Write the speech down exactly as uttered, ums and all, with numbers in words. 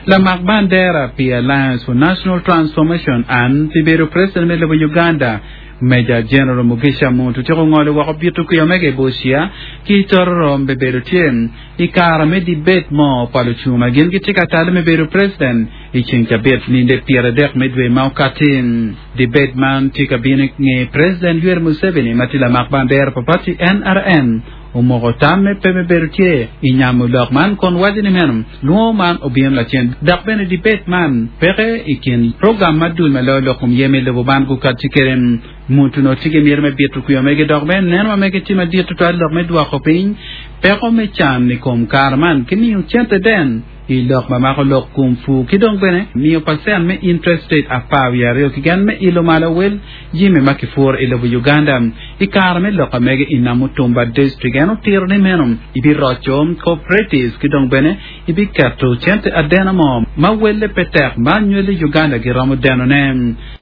Lamak bandera pi Alliance for National Transformation an pi bedo president me lobo Uganda Major General Mugisha Muntu tyeko ngolo woko bito kwiyo mege Busia ki Tororo be bedo tye i kare me debate mo pa lucung ma gin gitye ka tale me bedo president i ceng cabit ninde pyera adek me dwe ma okati debate man tye ka bino nge president Yoweri Museveni ma tye lamak bandera pa party N R M omoko tamme pe me bedo tye i nyamo lok man kun waco ni meno lwongo man obino lacen dok bene debate man peke i kin program ma dul ma loyo lok kom ye me lobo man gukati kede Muntu no tye ki myero me bito kwiyo mege dok bene neno ma mege tye madit tutwal lok me dwoko piny peko me can i kom kare man ki miyo cente den i lok ma mako lok kom pur ki dong bene miyo percent me interest rate apar wiye aryo keken me ilo malo wel jimi ma kipuro i lobo Uganda i kare me lok amege i Namutumba district en otiro ni meno ibiroco cooperatives ki dong bene ibiketo cente adena mo ma welle pe tek ma nywelo Uganda giromo denone.